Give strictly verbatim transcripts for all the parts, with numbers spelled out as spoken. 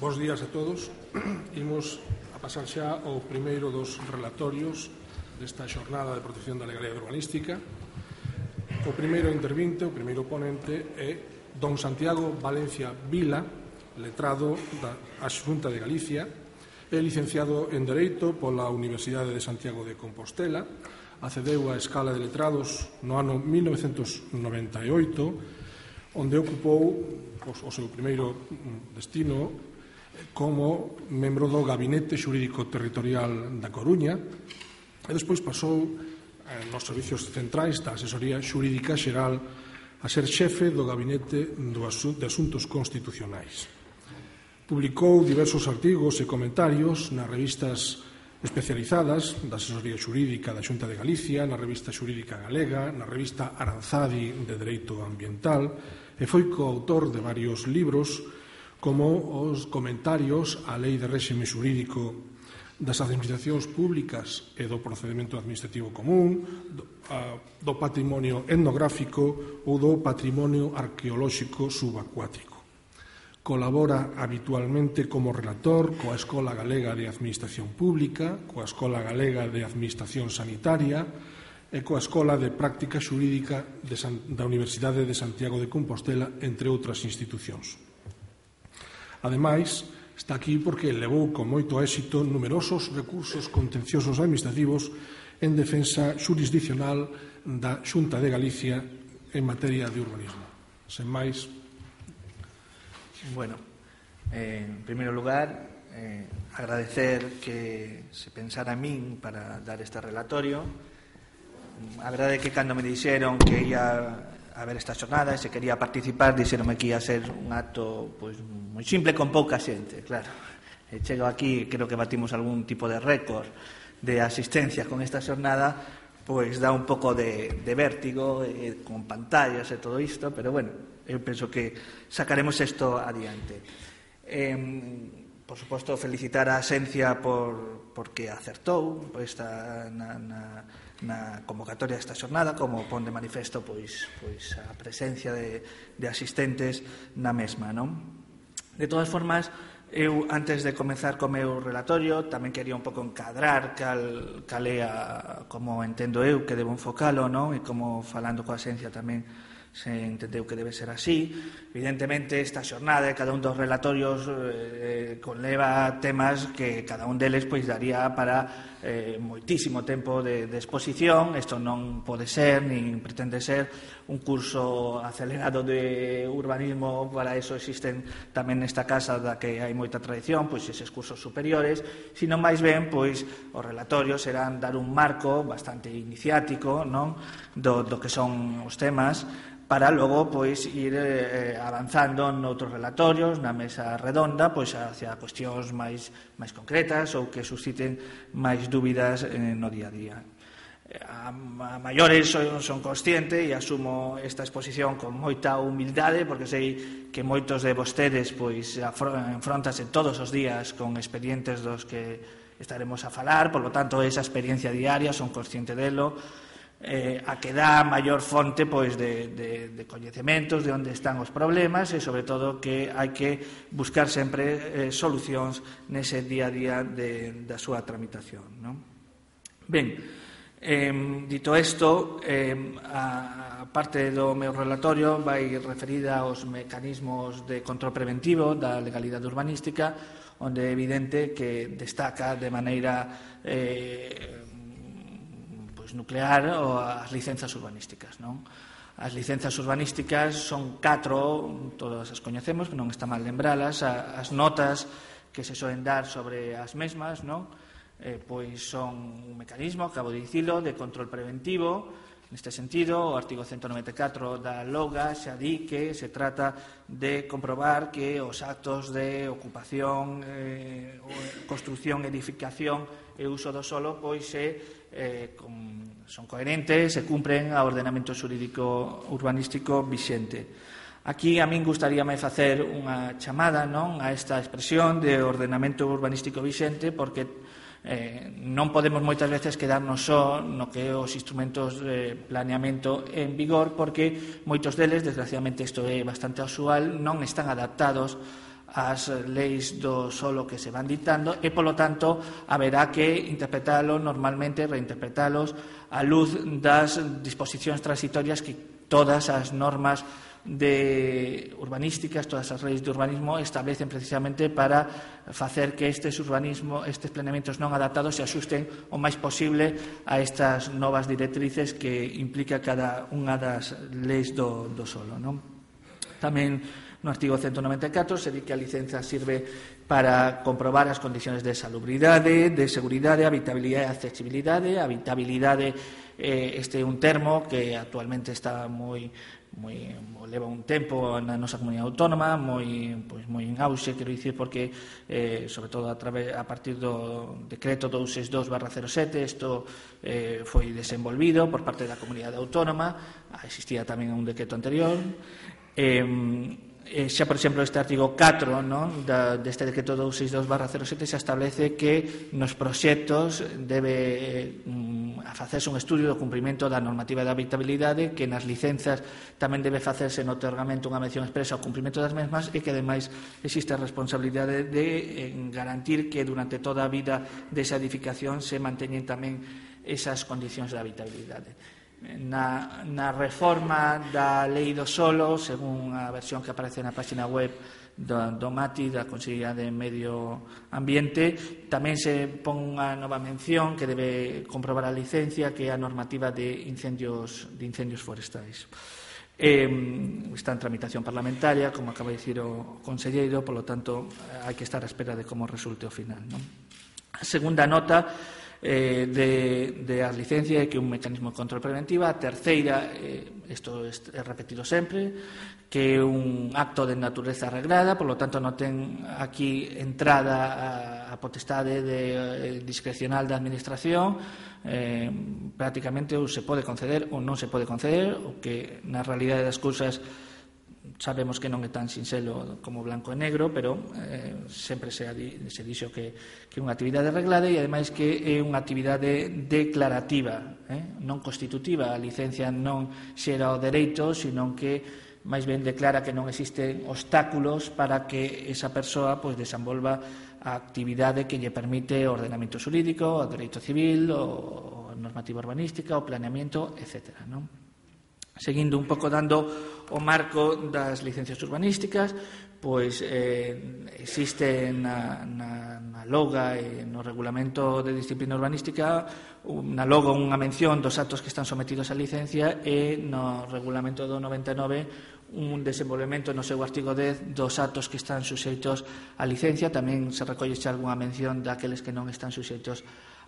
Bos días a todos. Imos a pasar xa ao primeiro dos relatorios desta xornada de protección da legalidade urbanística. O primeiro intervinte, o primeiro ponente, é don Santiago Valencia Vila, letrado da Xunta de Galicia, é licenciado en Dereito pola Universidade de Santiago de Compostela, accedeu á escala de letrados no ano mil novecentos noventa e oito, onde ocupou o seu primeiro destino como membro do Gabinete Xurídico Territorial da Coruña e despois pasou nos servicios centrais da Asesoría Xurídica Xeral a ser xefe do Gabinete de Asuntos Constitucionais. Publicou diversos artigos e comentarios nas revistas especializadas da Asesoría Xurídica da Xunta de Galicia, na Revista Xurídica Galega, na Revista Aranzadi de Dereito Ambiental e foi coautor de varios libros como os comentarios á Lei de Réxime Xurídico das Administracións Públicas e do Procedimento Administrativo Común, do, a, do patrimonio etnográfico ou do patrimonio arqueolóxico subacuático. Colabora habitualmente como relator coa Escola Galega de Administración Pública, coa Escola Galega de Administración Sanitaria e coa Escola de Práctica Xurídica de San, da Universidade de Santiago de Compostela, entre outras institucións. Ademais, está aquí porque levou con moito éxito numerosos recursos contenciosos administrativos en defensa xurisdiccional da Xunta de Galicia en materia de urbanismo. Sen máis. Bueno, eh, en primeiro lugar, eh, agradecer que se pensara en min para dar este relatorio. A verdade é que cando me dixeron que ia a ver esta xornada e se quería participar, dixeronme que ia ser un acto pois, moi simple con pouca xente, claro. E chego aquí, creo que batimos algún tipo de récord de asistencia con esta xornada, pois dá un pouco de, de vértigo eh, con pantallas e todo isto, pero bueno, eu penso que sacaremos isto adiante. Eh, por suposto, felicitar a Xencia por, porque acertou por esta, na, na, na convocatoria desta xornada, como pon de manifesto pois, pois a presencia de, de asistentes na mesma, non? De todas formas, eu, antes de comezar co meu relatorio, tamén quería un pouco encadrar cal, cal é a, como entendo eu que debo enfocalo, non? E como falando coa Xencia tamén se entendeu que debe ser así. Evidentemente, esta xornada e cada un dos relatorios eh, conleva temas que cada un deles pois daría para eh, moitísimo tempo de, de exposición. Isto non pode ser, nin pretende ser un curso acelerado de urbanismo. Para iso existen tamén nesta casa da que hai moita tradición, pois eses cursos superiores, sino máis ben, pois os relatorios serán dar un marco bastante iniciático, non? Do, do que son os temas, para logo pois ir eh, avanzando noutros relatorios, na mesa redonda, pois hacia cuestións máis máis concretas ou que susciten máis dúbidas eh, no día a día. A, a maiores son, son consciente e asumo esta exposición con moita humildade, porque sei que moitos de vostedes pois enfrontanse todos os días con expedientes dos que estaremos a falar, por lo tanto esa experiencia diaria son consciente delo. Eh, a que dá maior fonte pois, de, de, de coñecementos de onde están os problemas e, sobre todo, que hai que buscar sempre eh, solucións nese día a día de, da súa tramitación, non? Ben, eh, dito isto, eh, a, a parte do meu relatorio vai referida aos mecanismos de control preventivo da legalidade urbanística, onde é evidente que destaca de maneira eh, nuclear ou as licenzas urbanísticas, non? As licenzas urbanísticas son catro, todas as coñecemos, non está mal lembralas. As notas que se soen dar sobre as mesmas, non? Eh, pois son un mecanismo, acabo de dicilo, de control preventivo. Neste sentido, o artigo ciento noventa e catro da LOGA xa di que se trata de comprobar que os actos de ocupación, eh, construción, edificación e uso do solo pois se Eh, con, son coherentes e cumpren ao ordenamento xurídico urbanístico vixente. Aquí a min gustaríame facer unha chamada, non, a esta expresión de ordenamento urbanístico vixente, porque eh, non podemos moitas veces quedarnos só no que os instrumentos de planeamento en vigor, porque moitos deles, desgraciadamente isto é bastante usual, non están adaptados as leis do solo que se van dictando e, polo tanto, haberá que interpretalo normalmente, reinterpretalos á luz das disposicións transitorias que todas as normas de urbanísticas, todas as leis de urbanismo establecen precisamente para facer que estes urbanismo, estes planeamentos non adaptados se axusten o máis posible a estas novas directrices que implica cada unha das leis do, do solo, non? Tamén no artigo ciento noventa e catro se di que a licenza sirve para comprobar as condicións de salubridade, de seguridade, habitabilidade e accesibilidade. A habitabilidade eh, este é un termo que actualmente está moi moi leva un tempo na nosa comunidade autónoma, moi pois moi en auxe, quero dicir, porque eh, sobre todo a través a partir do decreto doscientos sesenta e dous barra cero sete isto eh, foi desenvolvido por parte da comunidade autónoma. Existía tamén un decreto anterior. Eh, Eh, xa, por exemplo, este artigo catro, non, da, deste decreto doscientos sesenta e dous barra cero sete se establece que nos proxectos debe eh, facerse un estudio do cumprimento da normativa de habitabilidade, que nas licenzas tamén debe facerse no otorgamento unha mención expresa ao cumprimento das mesmas e que, ademais, existe a responsabilidade de eh, garantir que durante toda a vida desa edificación se manteñen tamén esas condicións de habitabilidade. Na, na reforma da lei do solo, según a versión que aparece na página web do, do MATI, da Consellería de Medio Ambiente, tamén se pon unha nova mención que debe comprobar a licencia, que é a normativa de incendios, de incendios forestais. Eh, está en tramitación parlamentaria, como acaba de dicir o conselleiro, polo tanto, hai que estar á espera de como resulte o final, non? A segunda nota Eh, de, de as licencias, que é un mecanismo de control preventiva. A terceira, eh, isto é repetido sempre, que é un acto de natureza reglada, por lo tanto non ten aquí entrada a, a potestade de, eh, discrecional da administración. Eh, prácticamente ou se pode conceder ou non se pode conceder, o que na realidade das cousas sabemos que non é tan sinxelo como blanco e negro, pero eh, sempre se, se dixo que, que é unha actividade reglada e, ademais, que é unha actividade declarativa, eh? non constitutiva. A licencia non xera o dereito, sino que máis ben declara que non existen obstáculos para que esa persoa pois, desenvolva a actividade que lle permite o ordenamento xurídico, o dereito civil, o normativa urbanística, o planeamiento, etcétera, non? Seguindo un pouco dando o marco das licencias urbanísticas, pois eh, existe na, na, na loga e no regulamento de disciplina urbanística na loga unha mención dos actos que están sometidos á licencia e no regulamento do noventa e nove un desenvolvemento no seu artigo dez dos actos que están suxeitos á licencia. Tamén se recolle xa algunha mención daqueles que non están suxeitos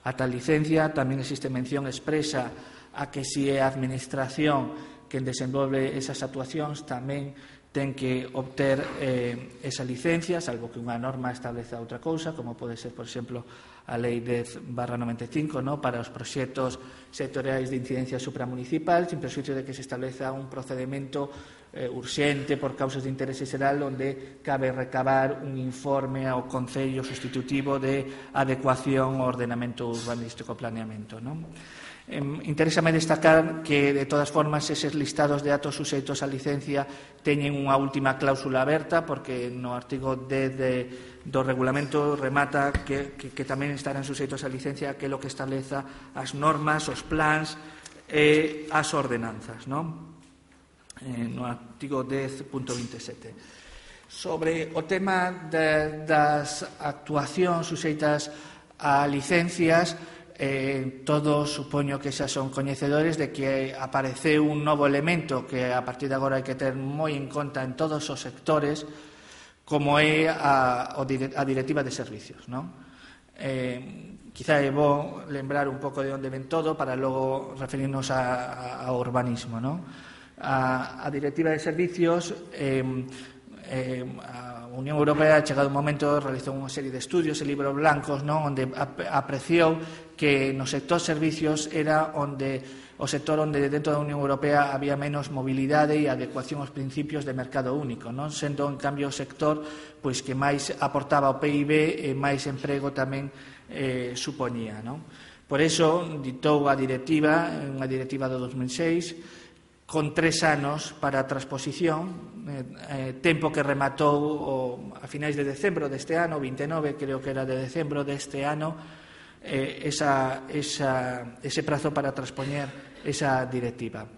a tal licencia. Tamén existe mención expresa a que si é a administración quen desenvolve esas actuacións tamén ten que obter eh, esa licencia, salvo que unha norma estableza outra cousa, como pode ser, por exemplo, a Lei dez barra noventa e cinco, no? Para os proxectos sectoriais de incidencia supramunicipal, sin perxuízo de que se estableza un procedimento eh, urxente por causas de interese xeral onde cabe recabar un informe ao Concello sustitutivo de adecuación ao ordenamento urbanístico planeamento, non? Eh, interésame destacar que, de todas formas, eses listados de actos suxeitos a licencia teñen unha última cláusula aberta, porque no artigo dez de, do regulamento remata que, que, que tamén estarán suxeitos a licencia aquilo que estableza as normas, os plans e as ordenanzas, non? Eh, no artigo dez punto veintisiete. Sobre o tema de, das actuacións suxeitas a licencias, Eh, todos supoño que xa son coñecedores de que apareceu un novo elemento que a partir de agora hai que ter moi en conta en todos os sectores, como é a, a directiva de servicios, non? Eh, quizá é bo lembrar un pouco de onde ven todo para logo referirnos a, a, a urbanismo, non? A, a directiva de servicios eh, eh, a Unión Europea, ha chegado un momento, realizou unha serie de estudios e libros blancos, non? Onde apreciou que no sector servicios era onde o sector onde dentro da Unión Europea había menos mobilidade e adecuación aos principios de mercado único, non? Sendo, en cambio, o sector pois que máis aportaba ao P I B e máis emprego tamén eh, supoñía, non? Por iso ditou a directiva, unha directiva do dos mil seis, con tres anos para a transposición, eh, eh, tempo que rematou o, a finais de decembro deste ano, vinte e nove, creo que era de decembro deste ano, eh, esa, esa, ese prazo para transpoñer esa directiva.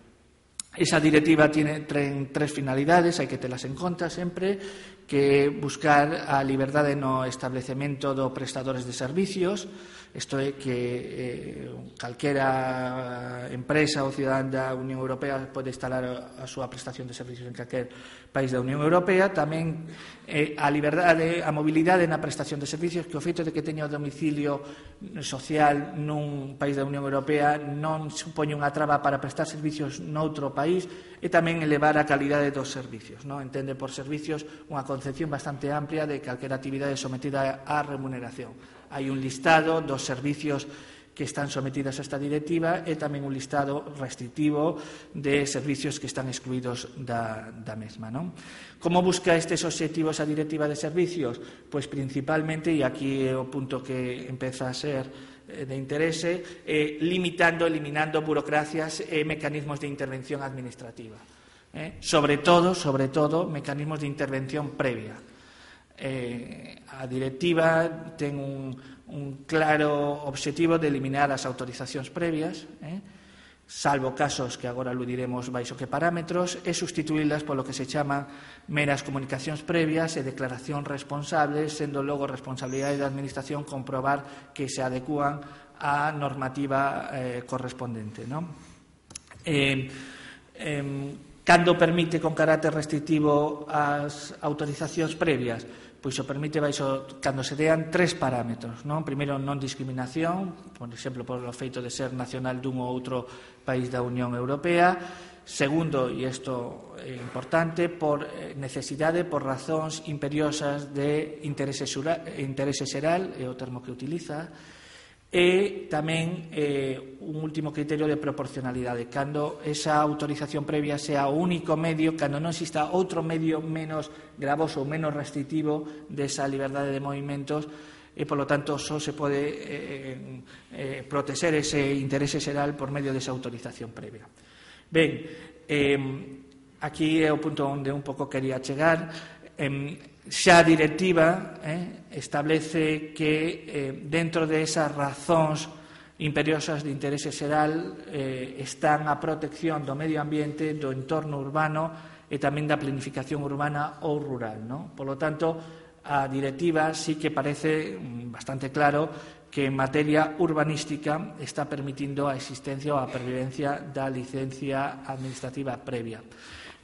Esa directiva tiene tres finalidades, hai que telas en conta sempre, que buscar a liberdade no establecemento do prestadores de servicios, isto é que eh, calquera empresa ou cidadán da Unión Europea pode instalar a súa prestación de servicios en calquer país da Unión Europea. Tamén eh, a liberdade, a mobilidade na prestación de servicios, que o feito de que teña o domicilio social nun país da Unión Europea non supoñe unha traba para prestar servicios noutro país, e tamén elevar a calidade dos servicios, non? Entende por servicios unha concepción bastante amplia de calquera actividade sometida á remuneración. Hai un listado dos servicios que están sometidas a esta directiva e tamén un listado restrictivo de servicios que están excluídos da, da mesma, non? Como busca estes obxectivos a directiva de servicios? Pois principalmente, e aquí é o punto que empeza a ser de interese, eh, limitando, eliminando burocracias e mecanismos de intervención administrativa. Eh? Sobre todo, sobre todo, mecanismos de intervención previa. Eh, a directiva ten un, un claro obxectivo de eliminar as autorizacións previas, eh, salvo casos que agora aludiremos baixo que parámetros, e sustituílas polo que se chama meras comunicacións previas e declaración responsables, sendo logo responsabilidade da Administración comprobar que se adecúan á normativa eh, correspondente, non? Eh, eh, cando permite con carácter restrictivo as autorizacións previas? Pois o permite baixo cando se dean tres parámetros, non? Primeiro, non discriminación, por exemplo, por o feito de ser nacional dun ou outro país da Unión Europea. Segundo, e isto é importante, por necesidade, por razóns imperiosas de interese xeral, é o termo que utiliza, e tamén eh, un último criterio de proporcionalidade, cando esa autorización previa sea o único medio, cando non exista outro medio menos gravoso ou menos restrictivo desa liberdade de movimentos, e, polo tanto, só se pode eh, eh, proteger ese interese xeral por medio desa autorización previa. Ben, eh, aquí é o punto onde un pouco quería chegar. Eh, xa a directiva eh, establece que eh, dentro de esas razóns imperiosas de interese xeral eh, están a protección do medio ambiente, do entorno urbano e tamén da planificación urbana ou rural, non? Polo tanto, a directiva sí que parece bastante claro que en materia urbanística está permitindo a existencia ou a pervivencia da licencia administrativa previa.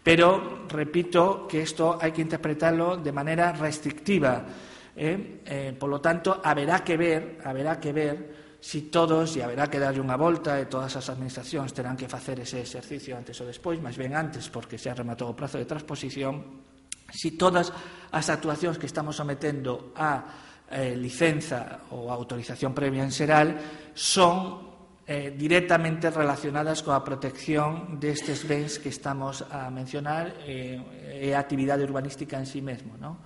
Pero, repito, que isto hai que interpretarlo de maneira restrictiva. Eh? Eh, polo tanto, haberá que ver, haberá que ver si todos, e haberá que darlle unha volta, e todas as administracións terán que facer ese exercicio antes ou despois, máis ben antes, porque xa rematou o prazo de transposición, si todas as actuacións que estamos sometendo a eh, licenza ou a autorización previa en xeral son Eh, directamente relacionadas coa protección destes bens que estamos a mencionar e eh, a actividade urbanística en sí mesmo, non?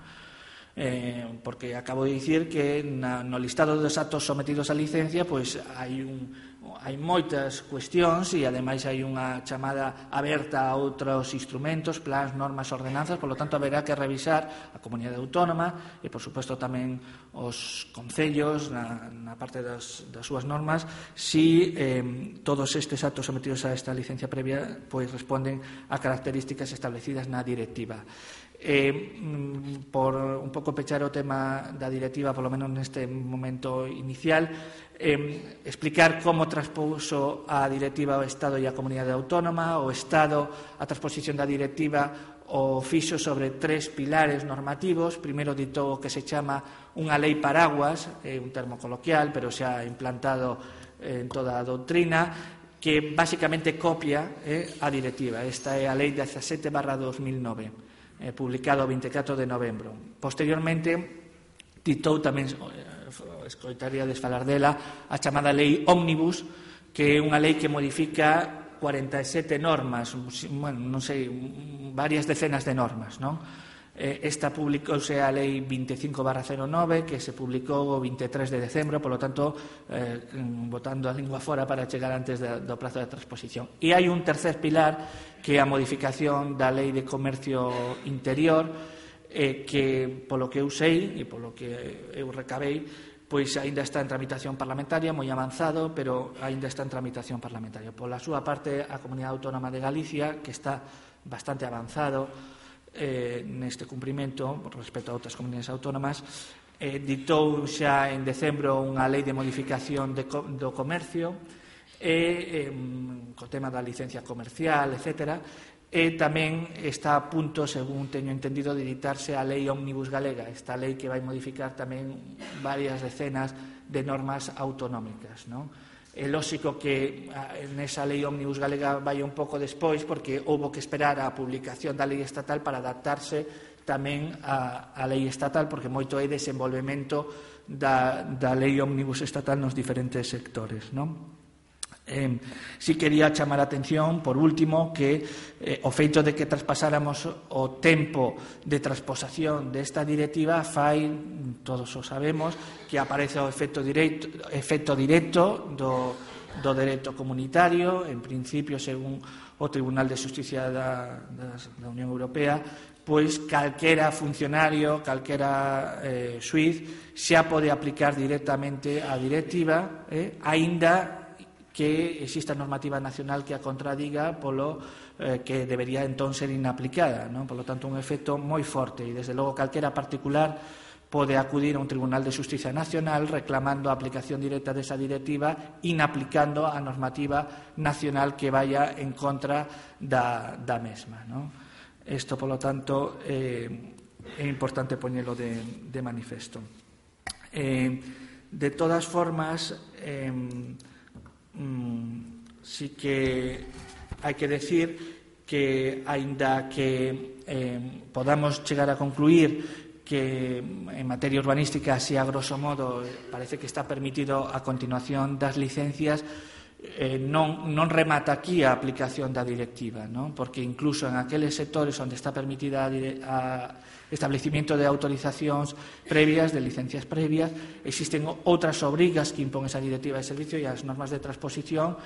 Eh, porque acabo de dicir que na, no listado dos actos sometidos a licencia pois hai, un, hai moitas cuestións e ademais hai unha chamada aberta a outros instrumentos, plans, normas, ordenanzas, polo tanto haberá que revisar a comunidade autónoma e, por suposto, tamén os concellos na, na parte das, das súas normas si eh, todos estes actos sometidos a esta licencia previa pois responden a características establecidas na directiva. Eh, por un pouco pechar o tema da directiva, polo menos neste momento inicial, eh, explicar como transpuso a directiva o Estado e a Comunidade Autónoma. O Estado, a transposición da directiva, o fixo sobre tres pilares normativos. Primeiro ditou o que se chama unha lei paraguas, é un termo coloquial, pero xa implantado en toda a doutrina, que basicamente copia eh, a directiva. Esta é a lei dezasete barra dos mil nove, eh, publicado o vinte e catro de novembro. Posteriormente, ditou tamén, escoitaríades falar dela, a chamada lei ómnibus, que é unha lei que modifica cuarenta e sete normas, bueno, non sei, varias decenas de normas, non? Esta publicouse a Lei vinte e cinco barra cero nove, que se publicou o vinte e tres de decembro, polo tanto, eh, botando a lingua fora para chegar antes de, do prazo de transposición. E hai un tercer pilar, que é a modificación da Lei de Comercio Interior, eh, que, polo que eu sei, e polo que eu recabei, pois aínda está en tramitación parlamentaria, moi avanzado, pero aínda está en tramitación parlamentaria. Pola súa parte, a Comunidade Autónoma de Galicia, que está bastante avanzado Eh, neste cumprimento respecto a outras comunidades autónomas, eh, ditou xa en decembro unha lei de modificación de co do comercio e eh, co tema da licencia comercial, etcétera, e tamén está a punto, según teño entendido, de editarse a lei Ómnibus Galega, esta lei que vai modificar tamén varias decenas de normas autonómicas, non? É lóxico que nesa lei Ómnibus Galega vai un pouco despois, porque houbo que esperar a publicación da lei estatal para adaptarse tamén a, a lei estatal, porque moito é desenvolvemento da, da lei Ómnibus estatal nos diferentes sectores, non? Eh, si quería chamar a atención, por último, que eh, o feito de que traspasáramos o tempo de transposación desta directiva fai, todos o sabemos, que aparece o efecto directo, efecto directo do, do dereito comunitario, en principio, según o Tribunal de Xusticia da, da, da Unión Europea, pois calquera funcionario, calquera eh, xuiz, xa pode aplicar directamente a directiva, eh, aínda que exista normativa nacional que a contradiga, polo eh, que debería entón ser inaplicada, non? Por lo tanto, un efecto moi forte, e desde logo calquera particular pode acudir a un Tribunal de Xusticia Nacional reclamando a aplicación directa desa directiva, inaplicando a normativa nacional que vaya en contra da, da mesma, non? Isto, polo tanto, eh, é importante poñelo de, de manifesto. Eh, de todas formas, eh, Mm, sí que hai que decir que, aínda que eh, podamos chegar a concluir que en materia urbanística, así a grosso modo, parece que está permitido a continuación das licencias, eh, non, non remata aquí a aplicación da directiva, non? Porque incluso en aqueles sectores onde está permitida a, a establecimiento de autorizacións previas, de licencias previas, existen outras obrigas que impón esa directiva de servicio, e as normas de transposición,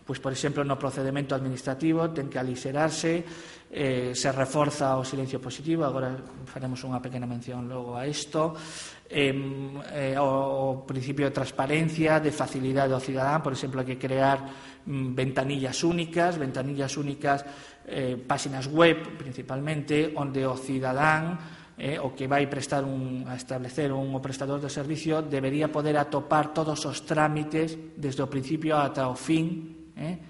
pois, por exemplo, no procedimento administrativo ten que aliserarse, eh, se reforza o silencio positivo, agora faremos unha pequena mención logo a isto, eh, eh, o, o principio de transparencia, de facilidade ao cidadán, por exemplo, hai que crear mm, ventanillas únicas, ventanillas únicas, eh, páxinas web, principalmente, onde o cidadán Eh, o que vai prestar un, a establecer un o prestador de servicio debería poder atopar todos os trámites desde o principio ata o fin eh,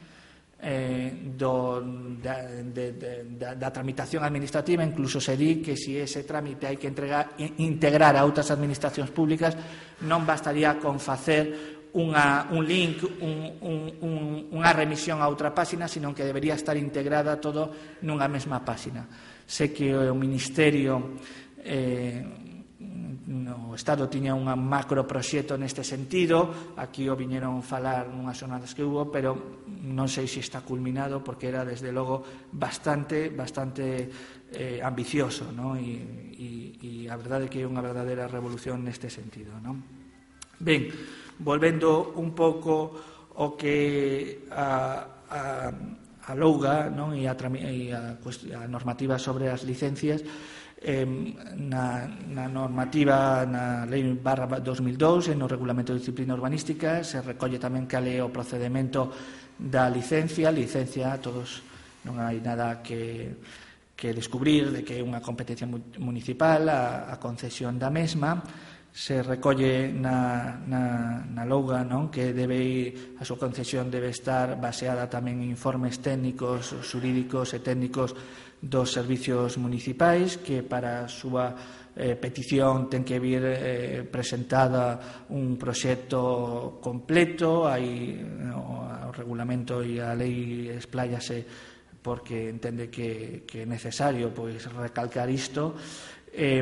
eh, do, da, de, de, da, da tramitación administrativa. Incluso se di que si ese trámite hai que entregar, integrar a outras administracións públicas, non bastaría con facer Unha, un link, un, un, un, unha remisión a outra páxina, sino que debería estar integrada todo nunha mesma páxina. Sé que o Ministerio eh, no Estado tiña un macroproxecto neste sentido, aquí o viñeron falar nunhas xornadas que hubo, pero non sei se está culminado, porque era desde logo bastante, bastante eh, ambicioso, ¿no? E, e, e a verdade é que é unha verdadeira revolución neste sentido, ¿no? Ben, volvendo un pouco o que a, a, a louga, non? E, a, e a, a normativa sobre as licencias, eh, na, na normativa na lei barra dos mil dous e no regulamento de disciplina urbanística se recolle tamén cal é o procedimento da licencia. Licencia, todos, non hai nada que, que descubrir de que é unha competencia municipal a, a concesión da mesma. Se recolle na, na, na louga, non? Que debe, a súa concesión debe estar baseada tamén en informes técnicos, xurídicos e técnicos dos servicios municipais, que para a súa eh, petición ten que vir eh, presentada un proxecto completo. Hai o, o regulamento e a lei expláyase porque entende que, que é necesario pois recalcar isto. Eh,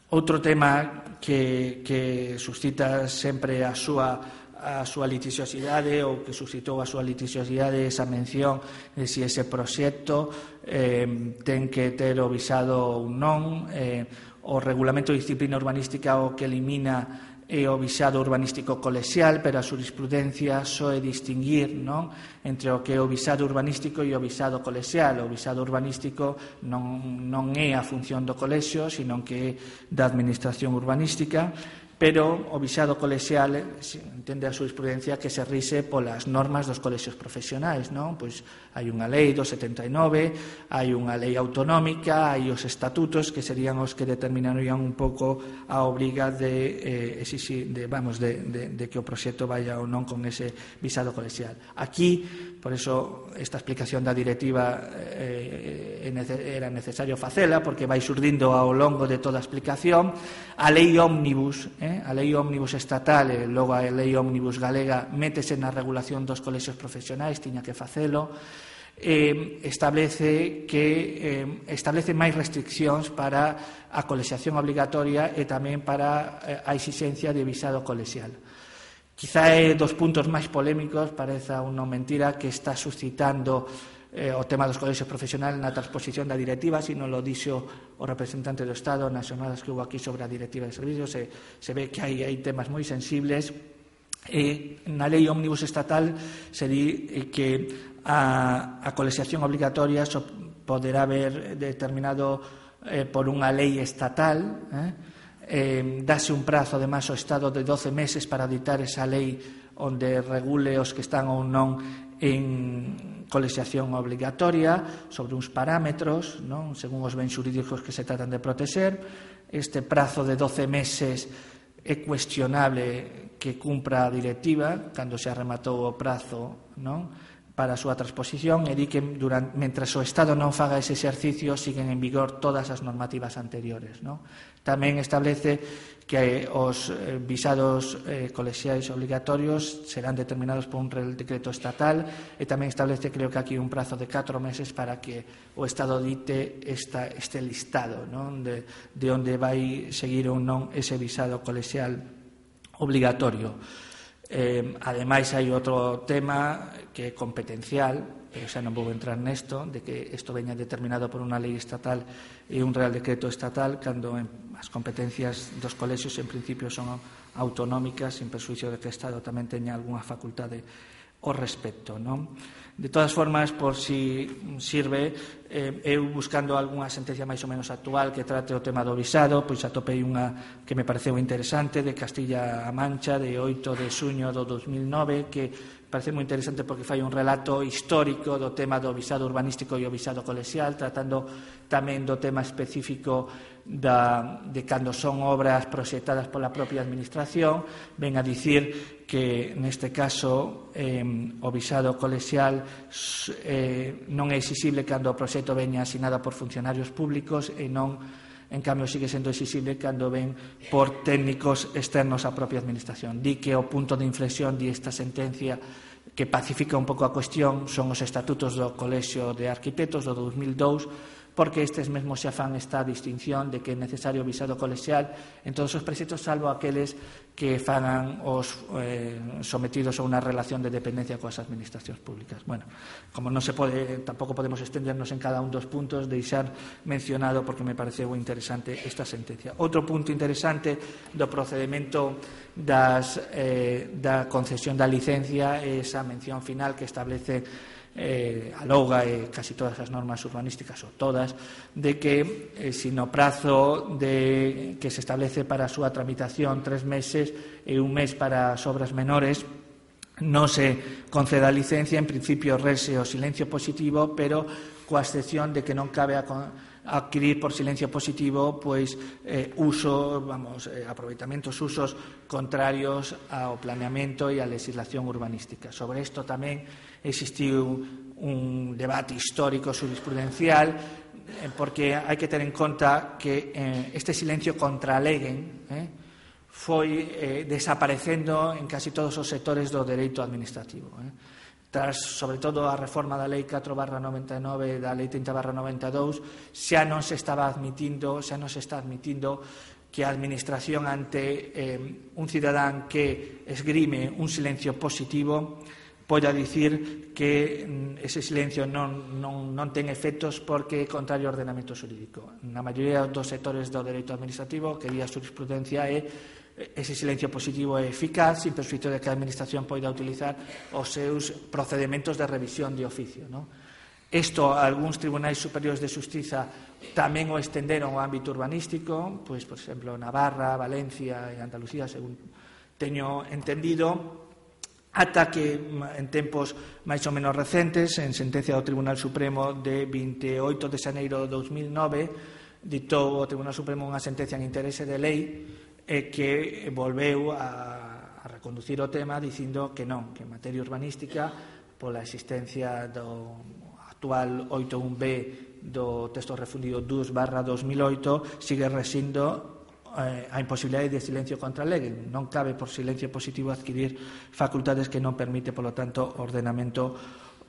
Outro tema que, que suscita sempre a súa a súa liticiosidade ou que suscitou a súa liticiosidade esa mención de si ese proxecto eh, ten que ter o visado ou non. Eh, o Regulamento de Disciplina Urbanística o que elimina é o visado urbanístico colexial, pero a xurisprudencia só é distinguir, non, entre o que é o visado urbanístico e o visado colexial. O visado urbanístico non, non é a función do colexio, sino que é da administración urbanística, pero o visado colexial entende a xurisprudencia que se rise polas normas dos colexios profesionais, non? Pois hai unha lei do setenta e nove, hai unha lei autonómica, hai os estatutos que serían os que determinarían un pouco a obriga de, eh, exixir, de, vamos, de, de, de que o proxecto vaya ou non con ese visado colexial. Aquí, por eso, esta explicación da directiva eh, era necesario facela, porque vai surdindo ao longo de toda a explicación. A lei ómnibus, eh, a lei ómnibus estatal e logo a lei ómnibus galega métese na regulación dos colexios profesionais, tiña que facelo. Eh, establece que eh, establece máis restriccións para a colexiación obligatoria e tamén para eh, a exixencia de visado colexial. Quizá é dos puntos máis polémicos, pareza unha mentira, que está suscitando eh, o tema dos colexios profesionais na transposición da directiva, sino lo dixo o representante do Estado nas xornadas que hubo aquí sobre a directiva de servicios. Se, se ve que hai, hai temas moi sensibles. E na lei ómnibus estatal se di que a, a colexiación obligatoria so poderá haber determinado eh, por unha lei estatal. Eh? Eh, dase un prazo, además, ao Estado de doce meses para ditar esa lei onde regule os que están ou non en colexiación obligatoria sobre uns parámetros, non? Según os bens xurídicos que se tratan de protexer. Este prazo de doce meses é cuestionable que cumpra a directiva cando se rematou o prazo, non, para a súa transposición, e di que durante, mentre o Estado non faga ese exercicio siguen en vigor todas as normativas anteriores, non? Tamén establece que os eh, visados eh, colexiais obligatorios serán determinados por un real decreto estatal, e tamén establece, creo que aquí, un prazo de catro meses para que o Estado dite esta, este listado, non, de, de onde vai seguir ou non ese visado colexial obligatorio. Eh, ademais, hai outro tema que é competencial, pero xa non vou entrar nesto, de que isto veña determinado por unha lei estatal e un real decreto estatal, cando as competencias dos colexios en principio son autonómicas, sin persuicio de que o Estado tamén teña algunha facultade ao respecto, non? De todas formas, por si sirve, eh, eu buscando algunha sentencia máis ou menos actual que trate o tema do visado, pois atopei unha que me pareceu interesante, de Castilla-A Mancha, de oito de xuño do dos mil nove, que parece moi interesante porque fai un relato histórico do tema do visado urbanístico e o visado colexial, tratando tamén do tema específico da, de cando son obras proxectadas pola propia administración. Ven a dicir que neste caso eh, o visado colexial eh, non é exixible cando o proxecto veña asinado por funcionarios públicos e non, en cambio, sigue sendo exixible cando ven por técnicos externos á propia administración. Di que o punto de inflexión di esta sentencia que pacifica un pouco a cuestión son os estatutos do Colexio de Arquitectos do dos mil dous, porque estes mesmos xa fan esta distinción de que é necesario visado colexial en todos os proxectos, salvo aqueles que fagan os eh, sometidos a unha relación de dependencia coas administracións públicas. Bueno, como non se pode, tampouco podemos extendernos en cada un dos puntos, deixar mencionado porque me pareceu interesante esta sentencia. Outro punto interesante do procedimento das, eh, da concesión da licencia é esa mención final que establece Eh, a LOGA e casi todas as normas urbanísticas, ou todas, de que eh, si no prazo de, que se establece para a súa tramitación tres meses e un mes para as obras menores non se conceda licencia, en principio rese o silencio positivo, pero coa excepción de que non cabe a adquirir por silencio positivo pois eh, uso, vamos, eh, aproveitamentos, usos contrarios ao planeamento e á legislación urbanística. Sobre isto tamén existiu un debate histórico jurisprudencial, eh, porque hai que ter en conta que eh, este silencio contraleguen eh, foi eh, desaparecendo en casi todos os sectores do dereito administrativo. Eh. Tras, sobre todo, a reforma da Lei catro barra noventa e nove e da Lei trinta barra noventa e dous, xa non se estaba admitindo, xa non se está admitindo que a Administración ante eh, un cidadán que esgrime un silencio positivo poida dicir que ese silencio non, non, non ten efectos porque é contrario ao ordenamento xurídico. Na maioría dos sectores do dereito administrativo que di a jurisprudencia é ese silencio positivo é eficaz sin perxuízo de que a Administración poida utilizar os seus procedementos de revisión de oficio, non? Isto, algúns tribunais superiores de xustiza tamén o estenderon ao ámbito urbanístico, pois, por exemplo, Navarra, Valencia e Andalucía, según teño entendido, ata que en tempos máis ou menos recentes, en sentencia do Tribunal Supremo de vinte e oito de xaneiro de dous mil nove, ditou o Tribunal Supremo unha sentencia en interese de lei e que volveu a, a reconducir o tema dicindo que non, que en materia urbanística, pola existencia do actual oito un B do texto refundido dous barra dos mil oito, sigue resistindo a imposibilidade de silencio contra a lei. Non cabe por silencio positivo adquirir facultades que non permite, polo tanto, ordenamento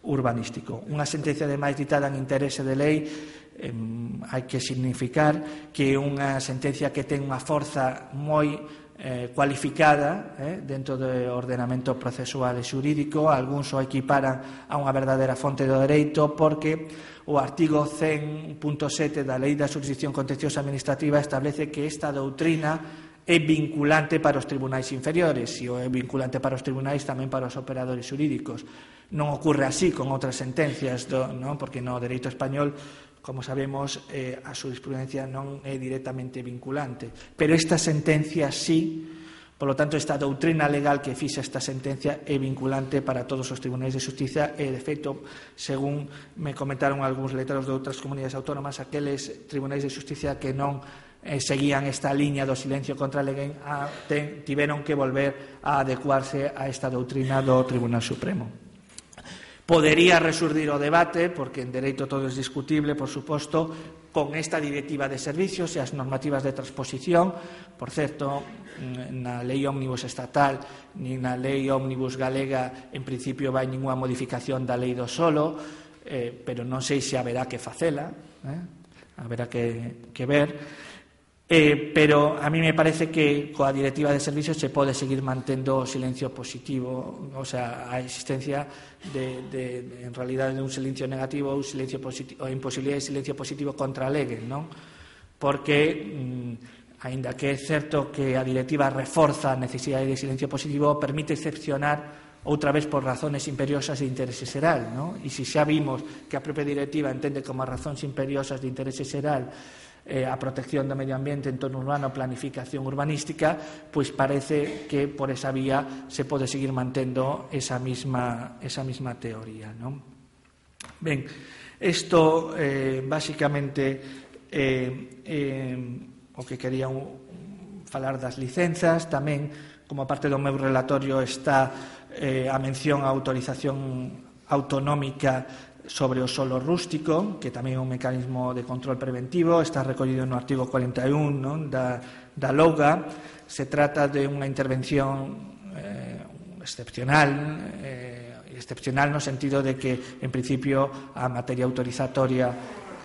urbanístico. Unha sentencia de máis ditada en interese de lei eh, hai que significar que é unha sentencia que ten unha forza moi eh, cualificada eh, dentro do ordenamento procesual e xurídico. Algúns o equiparan a unha verdadeira fonte do dereito porque o artigo cen punto sete da Lei da Xurisdicción Contenciosa Administrativa establece que esta doutrina é vinculante para os tribunais inferiores e é vinculante para os tribunais tamén para os operadores xurídicos. Non ocorre así con outras sentencias, do, non? Porque no dereito español, como sabemos, eh, a xurisprudencia non é directamente vinculante. Pero esta sentencia sí. Por lo tanto, esta doutrina legal que fixa esta sentencia é vinculante para todos os tribunais de xustiza e, de feito, según me comentaron algúns letrados de outras comunidades autónomas, aqueles tribunais de xustiza que non eh, seguían esta liña do silencio contra a lei a, ten, tiveron que volver a adecuarse a esta doutrina do Tribunal Supremo. Podería resurdir o debate, porque en dereito todo es discutible, por suposto, con esta directiva de servicios e as normativas de transposición. Por certo, na lei ómnibus estatal ni na lei ómnibus galega en principio vai ninguna modificación da lei do solo, eh, pero non sei se haberá que facela, eh? haberá que, que ver. Eh, pero a mí me parece que coa directiva de servicios se pode seguir mantendo o silencio positivo, o sea, a existencia de, de, de en realidade de un silencio negativo ou silencio positivo, ou imposibilidade de silencio positivo contra a lei, non? Porque mm, aínda que é certo que a directiva reforza a necesidade de silencio positivo, permite excepcionar outra vez por razones imperiosas de interese xeral, non? E se xa vimos que a propia directiva entende como razóns imperiosas de interese xeral Eh, a protección do medio ambiente, entorno urbano, planificación urbanística, pois parece que por esa vía se pode seguir mantendo esa misma, esa misma teoría, non? Ben, isto eh, basicamente eh, eh, o que quería un, falar das licenzas. Tamén, como parte do meu relatorio, está eh, a mención á autorización autonómica sobre o solo rústico, que tamén é un mecanismo de control preventivo, está recollido no artigo cuarenta e un, non? Da, da LOGA. Se trata de unha intervención eh, excepcional, eh, excepcional no sentido de que, en principio, a materia autorizatoria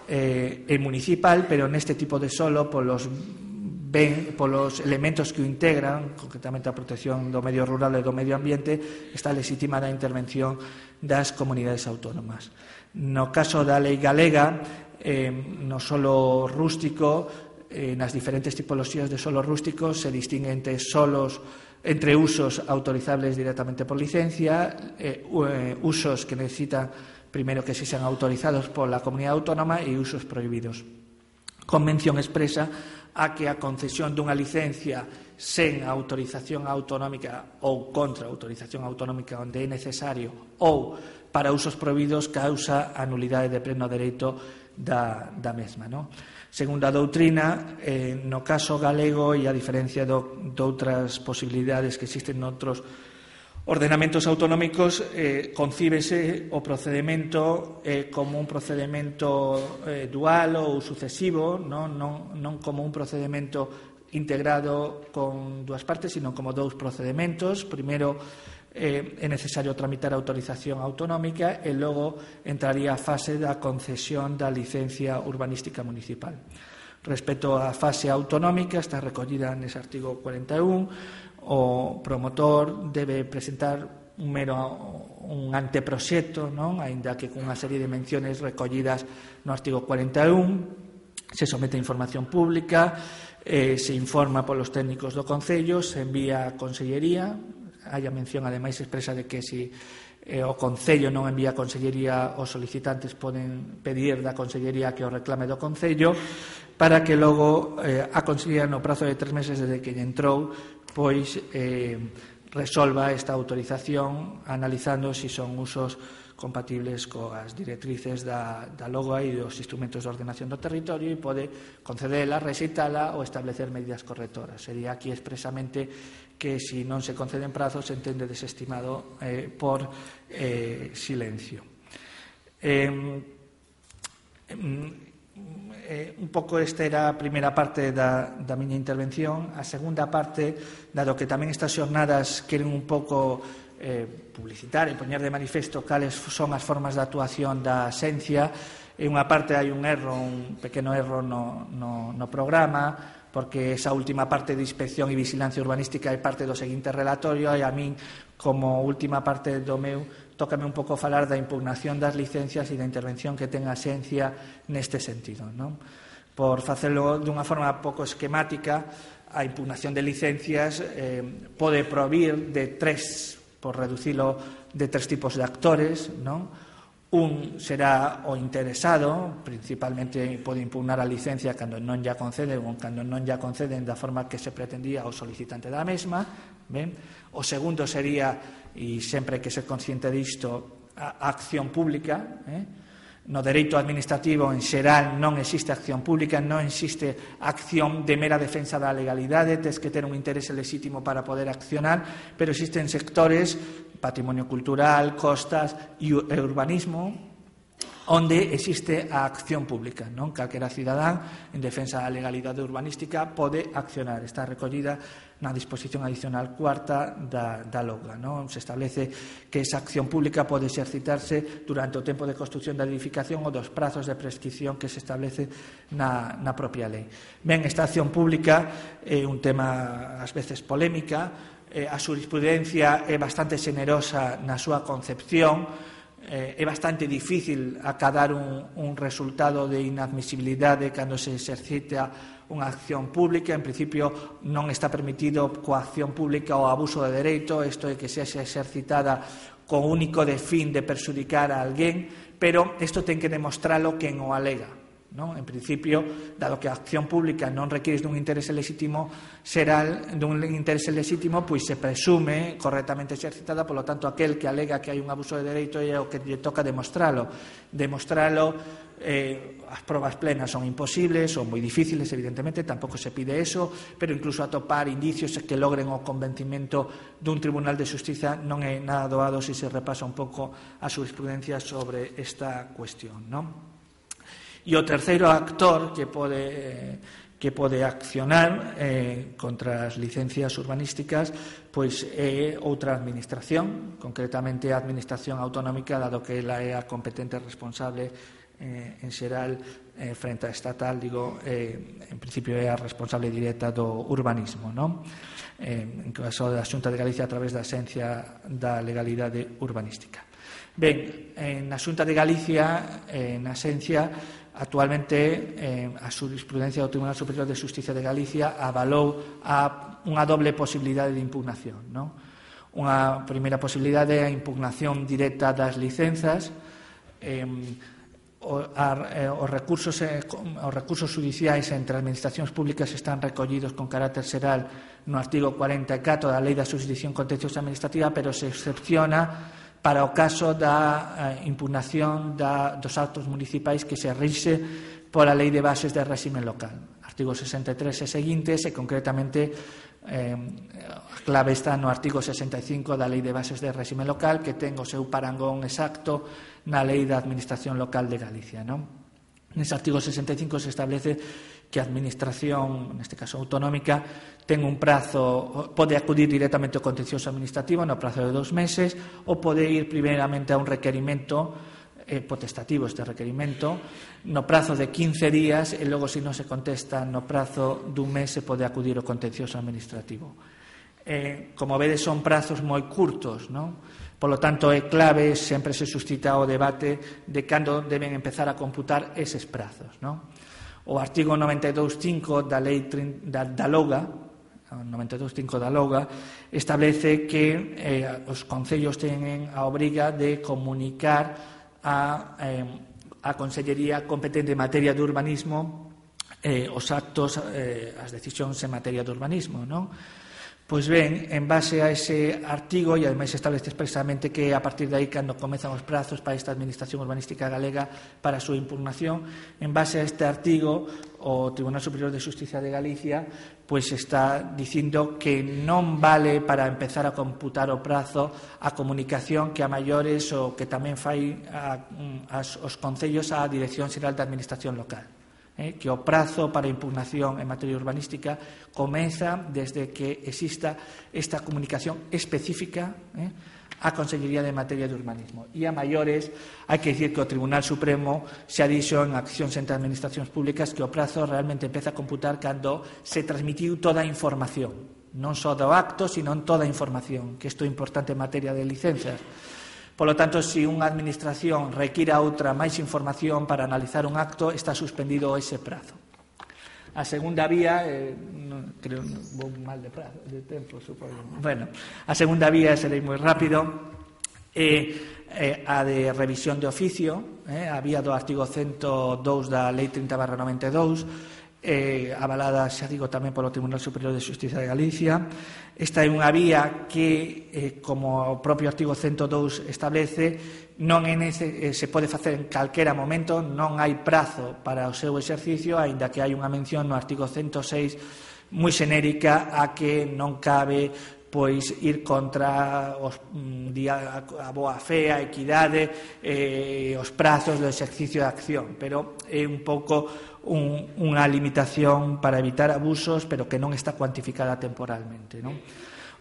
eh, é municipal, pero neste tipo de solo, polos ben, polos elementos que o integran, concretamente a protección do medio rural e do medio ambiente, está legitimada a intervención das comunidades autónomas. No caso da lei galega, eh, no solo rústico, eh, nas diferentes tipoloxías de solo rústico se distingue entre solos, entre usos autorizables directamente por licencia, eh, usos que necesitan primeiro que se sean autorizados pola comunidade autónoma e usos prohibidos. Con mención expresa a que a concesión dunha licencia sen autorización autonómica ou contra autorización autonómica onde é necesario ou para usos prohibidos causa a nulidade de pleno dereito da, da mesma, non? Segundo a doutrina, eh, no caso galego, e a diferencia do, de outras posibilidades que existen noutros ordenamentos autonómicos, eh, concíbese o procedimento eh, como un procedimento eh, dual ou sucesivo, non, non, non como un procedimento integrado con dúas partes, sino como dous procedimentos. Primeiro, eh, é necesario tramitar a autorización autonómica e logo entraría a fase da concesión da licencia urbanística municipal. Respecto á fase autonómica, está recollida nese artigo cuarenta e un, o promotor debe presentar un mero un anteproxecto, non? Aínda que cunha serie de menciones recollidas no artigo cuarenta e un, se somete a información pública, eh, se informa polos técnicos do Concello, se envía a Consellería, hai a mención ademais expresa de que se eh, o Concello non envía a Consellería, os solicitantes poden pedir da Consellería que o reclame do Concello, para que logo eh, a Consellería no prazo de tres meses desde que lle entrou pois eh, resolva esta autorización analizando se si son usos compatibles coas directrices da, da LOGA e dos instrumentos de ordenación do territorio e pode concedela, rexeitala ou establecer medidas correctoras. Sería aquí expresamente que se si non se conceden prazos se entende desestimado eh, por eh, silencio. Eh, eh, un pouco esta era a primeira parte da, da miña intervención. A segunda parte, dado que tamén estas xornadas queren un pouco eh, publicitar e poñer de manifesto cales son as formas de actuación da Xencia, en unha parte hai un erro, un pequeno erro no, no, no programa, porque esa última parte de inspección e vigilancia urbanística é parte do seguinte relatorio e a min, como última parte do meu, tócame un pouco falar da impugnación das licencias e da intervención que ten a Xencia neste sentido, non? Por facelo dunha forma pouco esquemática, a impugnación de licencias eh, pode provir de tres, por reducilo, de tres tipos de actores, non? Un será o interesado, principalmente pode impugnar a licencia cando non ya conceden ou cando non ya conceden da forma que se pretendía o solicitante da mesma. Ben? O segundo sería, e sempre que ser consciente disto, a acción pública. Eh? No dereito administrativo en xeral non existe acción pública, non existe acción de mera defensa da legalidade, tes que ter un interese lexítimo para poder accionar, pero existen sectores, patrimonio cultural, costas e urbanismo, onde existe a acción pública, non? Calquera cidadán en defensa da legalidade urbanística pode accionar. Está recollida na disposición adicional cuarta da, da LOGA, non? Se establece que esa acción pública pode exercitarse durante o tempo de construción da edificación ou dos prazos de prescripción que se establece na, na propia lei. Ben, esta acción pública é un tema ás veces polémica, eh, a jurisprudencia é bastante xenerosa na súa concepción. Eh, é bastante difícil acadar un, un resultado de inadmisibilidade cando se exercita unha acción pública. En principio non está permitido coa acción pública o abuso de dereito, isto é que sexa exercitada co único de fin de perxudicar a alguén, pero isto ten que demostralo quen o alega. Non? En principio, dado que a acción pública non require dun interese lexítimo xeral, dun interese lexítimo, pois se presume correctamente exercitada, polo tanto, aquel que alega que hai un abuso de dereito é o que lle toca demostralo. Demostralo, eh, as probas plenas son imposibles, son moi difíciles, evidentemente, tampouco se pide eso, pero incluso atopar indicios que logren o convencimento dun tribunal de xustiza non é nada doado se se repasa un pouco a jurisprudencia sobre esta cuestión, non? E o terceiro actor que pode, que pode accionar eh, contra as licencias urbanísticas pois é outra administración, concretamente a administración autonómica, dado que ela é a competente responsable eh, en xeral eh, frente a estatal, digo, eh, en principio é a responsable directa do urbanismo, non? Eh, en caso da Xunta de Galicia a través da Axencia da Legalidade Urbanística. Ben, na Xunta de Galicia, eh, na Axencia, actualmente eh, a jurisprudencia do Tribunal Superior de Xustiza de Galicia avalou a unha doble posibilidade de impugnación, non? Unha primeira posibilidade é a impugnación directa das licenzas. Eh, o, a, os, recursos, eh, os recursos judiciais entre administracións públicas están recollidos con carácter xeral no artigo cuarenta e catro da Lei da Xurisdicción Contenciosa Administrativa, pero se excepciona para o caso da eh, impugnación da, dos actos municipais que se rixe pola Lei de Bases de Réxime Local. Artigo sesenta e tres e seguintes, e concretamente eh, a clave está no artigo sesenta e cinco da Lei de Bases de Réxime Local, que ten o seu parangón exacto na Lei da Administración Local de Galicia, non? Nese artigo sesenta e cinco se establece que a administración, neste caso autonómica, ten un prazo, pode acudir directamente ao contencioso administrativo no prazo de dos meses ou pode ir primeiramente a un requerimento eh, potestativo este requerimento, no prazo de quince días e logo, se non se contesta no prazo dun mes, se pode acudir ao contencioso administrativo. Eh, como vedes, son prazos moi curtos, non? Polo tanto, é clave, sempre se suscita o debate de cando deben empezar a computar eses prazos, non? O artigo noventa e dous punto cinco da lei da, da LOGA, noventa e dous punto cinco da LOGA, establece que eh, os concellos teñen a obriga de comunicar a, eh, a Consellería competente en materia de urbanismo eh, os actos, eh, as decisións en materia de urbanismo, non? Pois ben, en base a ese artigo, e ademais establece expresamente que a partir de aí cando comezan os prazos para esta Administración Urbanística Galega para a súa impugnación, en base a este artigo, o Tribunal Superior de Xustiza de Galicia pois está dicindo que non vale para empezar a computar o prazo a comunicación que a maiores o que tamén fai a, as, os concellos á Dirección Xeral de Administración Local. Eh, que o prazo para impugnación en materia urbanística comeza desde que exista esta comunicación específica eh, á Consellería de Materia de Urbanismo. E a maiores, hai que dicir que o Tribunal Supremo xa dixo en accións entre administracións públicas que o prazo realmente empeza a computar cando se transmitiu toda a información, non só do acto, sino toda a información, que isto é importante en materia de licencias. Polo tanto, se unha administración requira outra máis información para analizar un acto, está suspendido ese prazo. A segunda vía, eh, non, creo, non, vou mal de prazo, de tempo, supoño. Bueno, a segunda vía, serei moi rápido, é eh, a de revisión de oficio, eh, a vía do artigo ciento dous da Lei trinta barra noventa e dous, eh, avalada, xa digo, tamén polo Tribunal Superior de Xustiza de Galicia. Esta é unha vía que, eh, como o propio artigo ciento dous establece, non é nece, eh, se pode facer en calquera momento, non hai prazo para o seu exercicio, aínda que hai unha mención no artigo ciento seis moi xenérica a que non cabe pois ir contra os, a, a boa fe, a equidade, eh, os prazos do exercicio de acción, pero é un pouco un, unha limitación para evitar abusos, pero que non está cuantificada temporalmente, non?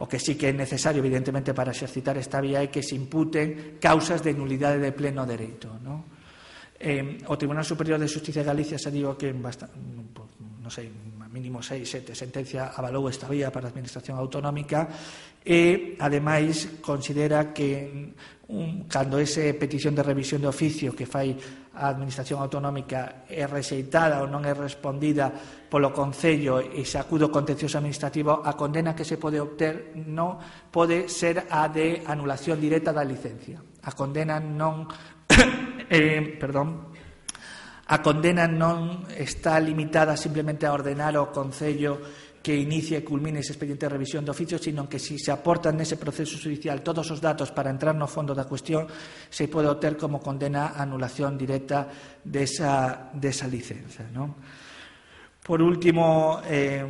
O que sí que é necesario, evidentemente, para exercitar esta vía é que se imputen causas de nulidade de pleno dereito, non? Eh, o Tribunal Superior de Xustiza de Galicia se digo que en bastante, non sei, mínimo seis, sete sentencia avalou esta vía para a Administración Autonómica e, ademais, considera que un, cando ese petición de revisión de oficio que fai a Administración Autonómica é rexeitada ou non é respondida polo Concello e se acude ao contencioso administrativo, a condena que se pode obter non pode ser a de anulación directa da licencia. A condena non eh, perdón A condena non está limitada simplemente a ordenar ao Concello que inicie e culmine ese expediente de revisión de oficio, sino que si se aportan nese proceso judicial todos os datos para entrar no fondo da cuestión, se pode obter como condena a anulación directa desa, desa licenza, non? Por último, eh,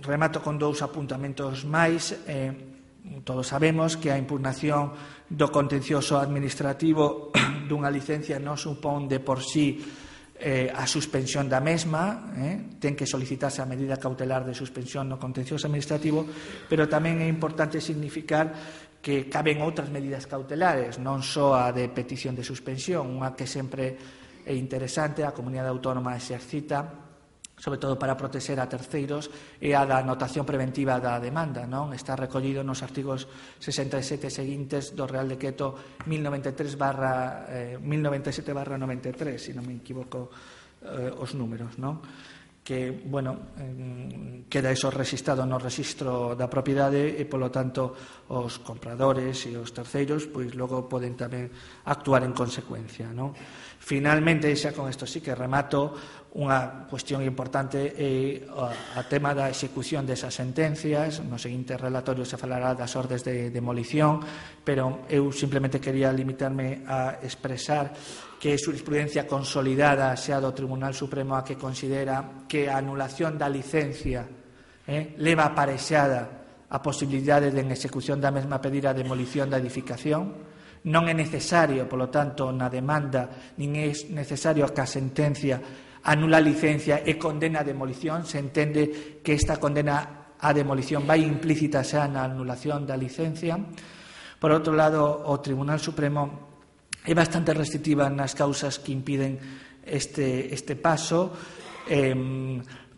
remato con dous apuntamentos máis. Eh, todos sabemos que a impugnación do contencioso administrativo dunha licencia non supón de por sí Eh, a suspensión da mesma, eh, ten que solicitarse a medida cautelar de suspensión no contencioso administrativo, pero tamén é importante significar que caben outras medidas cautelares, non só a de petición de suspensión, unha que sempre é interesante, a comunidade autónoma exercita, sobre todo para protexer a terceiros, e a da anotación preventiva da demanda, non? Está recollido nos artigos sesenta e sete seguintes do Real Decreto mil noventa e sete barra noventa e tres, se non me equivoco eh, os números, non? Que, bueno, eh, queda eso registrado no registro da propiedade e, polo tanto, os compradores e os terceiros, pois logo poden tamén actuar en consecuencia, non? Finalmente, xa con isto sí que remato, unha cuestión importante é a tema da execución desas sentencias. No seguinte relatorio se falará das ordes de demolición, pero eu simplemente quería limitarme a expresar que é jurisprudencia consolidada xa do Tribunal Supremo a que considera que a anulación da licencia eh, leva aparexada a posibilidade de en execución da mesma pedir a demolición da edificación. Non é necesario, polo tanto, na demanda, nin é necesario que a sentencia anula a licencia e condena a demolición. Se entende que esta condena a demolición vai implícita xa na anulación da licencia. Por outro lado, o Tribunal Supremo é bastante restrictiva nas causas que impiden este, este paso. Eh,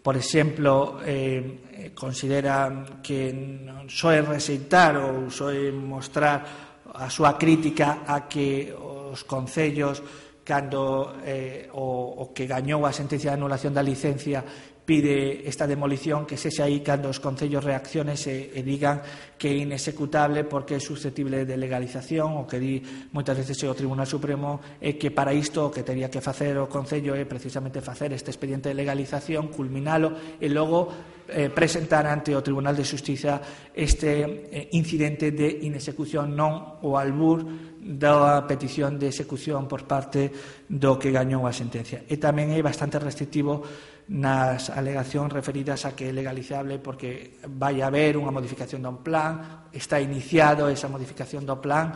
por exemplo, eh, considera que non só é rexeitar ou só é mostrar a súa crítica a que os concellos, cando eh, o, o que gañou a sentencia de anulación da licencia pide esta demolición, que sexa aí cando os concellos reaccionen e, e digan que é inexecutable porque é susceptible de legalización. O que di moitas veces o Tribunal Supremo é que para isto o que teria que facer o concello é precisamente facer este expediente de legalización, culminalo e logo eh, presentar ante o Tribunal de Xustiza este eh, incidente de inexecución, non o albur da petición de execución por parte do que gañou a sentencia. E tamén é bastante restrictivo nas alegacións referidas a que é legalizable porque vai haber unha modificación do plan, está iniciado esa modificación do plan.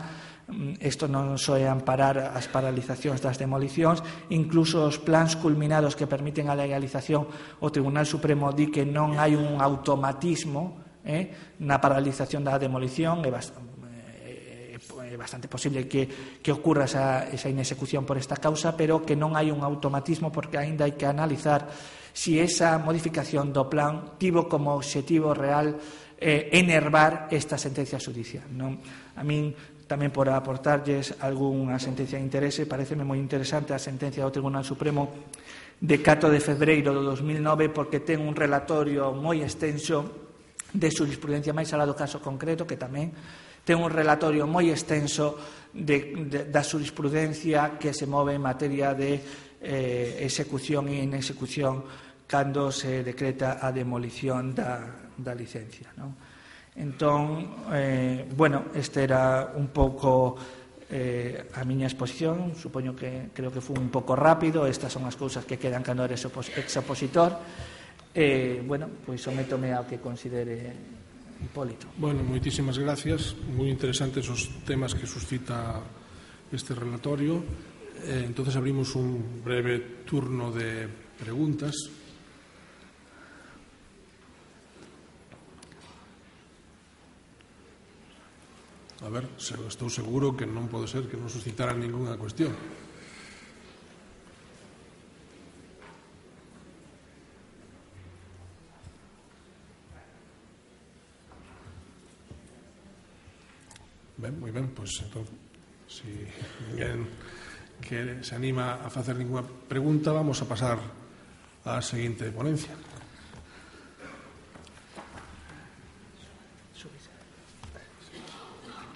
Isto non só é amparar as paralizacións das demolicións, incluso os plans culminados que permiten a legalización, o Tribunal Supremo di que non hai un automatismo eh, na paralización da demolición. É bastante é bastante posible que, que ocurra esa, esa inexecución por esta causa, pero que non hai un automatismo porque aínda hai que analizar si esa modificación do plan tivo como obxectivo real eh, enervar esta sentencia xudicial. Non? A min, tamén por aportarlles algunha sentencia de interese, pareceme moi interesante a sentencia do Tribunal Supremo de catro de febreiro do dos mil nove, porque ten un relatorio moi extenso de jurisprudencia máis alá do caso concreto, que tamén ten un relatorio moi extenso de, de, da jurisprudencia que se move en materia de eh, execución e inexecución cando se decreta a demolición da, da licencia, non? Entón, eh, bueno, este era un pouco eh, a miña exposición. Supoño que creo que foi un pouco rápido. Estas son as cousas que quedan cando eres exopositor. Eh, bueno, pois sométome ao que considere Hipólito. Bueno, moitísimas gracias. Moi interesantes os temas que suscita este relatorio. Eh, entonces abrimos un breve turno de preguntas. A ver, estou seguro que non pode ser que non suscitaran ninguna cuestión. Ben, moi ben, pois entón, se ninguén que se anima a facer ninguna pregunta, vamos a pasar á seguinte ponencia.